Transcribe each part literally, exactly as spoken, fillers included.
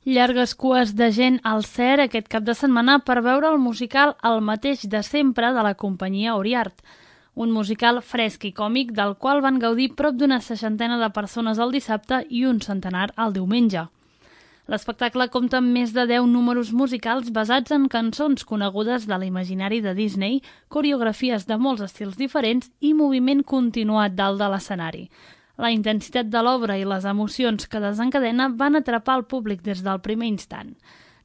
Llargues cues de gent al CER aquest cap de setmana per veure el musical El mateix de sempre de la companyia Oriart, un musical fresc i còmic del qual van gaudir prop d'una seixantena de persones el dissabte i un centenar el diumenge. L'espectacle compta amb més de deu números musicals basats en cançons conegudes de l'imaginari de Disney, coreografies de molts estils diferents i moviment continuat dalt de l'escenari. La intensitat de l'obra i les emocions que desencadena van atrapar el públic des del primer instant.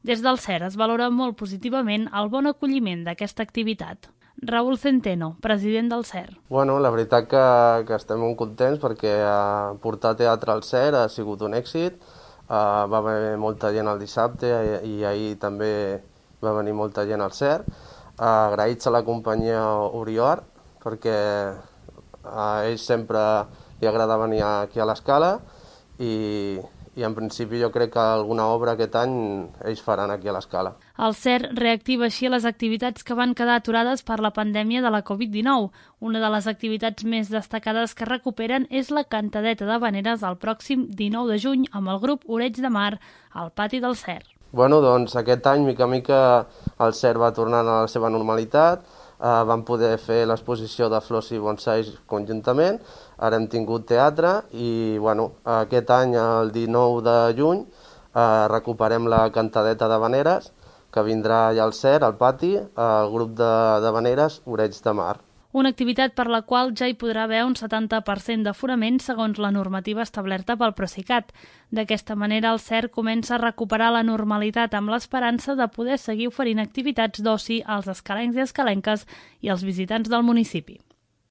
Des del CER es valora molt positivament el bon acolliment d'aquesta activitat. Raúl Centeno, president del CER. Bueno, la veritat que, que estem molt contents perquè uh, portar teatre al CER ha sigut un èxit. Uh, va haver molta gent el dissabte i, i ahir també va venir molta gent al CER. Uh, agraïts a la companyia Oriart perquè a ells sempre li agrada venir aquí a l'Escala i, i en principi jo crec que alguna obra aquest any ells faran aquí a l'Escala. El CER reactiva així les activitats que van quedar aturades per la pandèmia de la covid dinou. Una de les activitats més destacades que recuperen és la cantadeta d'havaneres el pròxim dinou de juny amb el grup Oreig de Mar al pati del CER. Bueno, doncs aquest any, mica a mica, el CER va tornant a la seva normalitat. Uh, vam poder fer l'exposició de flors i bonsais conjuntament, ara hem tingut teatre i bueno, aquest any, el dinou de juny, uh, recuperem la cantadeta d'havaneres que vindrà allà al CER, al pati, el grup d'havaneres Oreig de Mar. Una activitat per la qual ja hi podrà haver un setanta per cent d'aforament segons la normativa establerta pel Procicat. D'aquesta manera, el CER comença a recuperar la normalitat amb l'esperança de poder seguir oferint activitats d'oci als escalencs i escalenques i als visitants del municipi.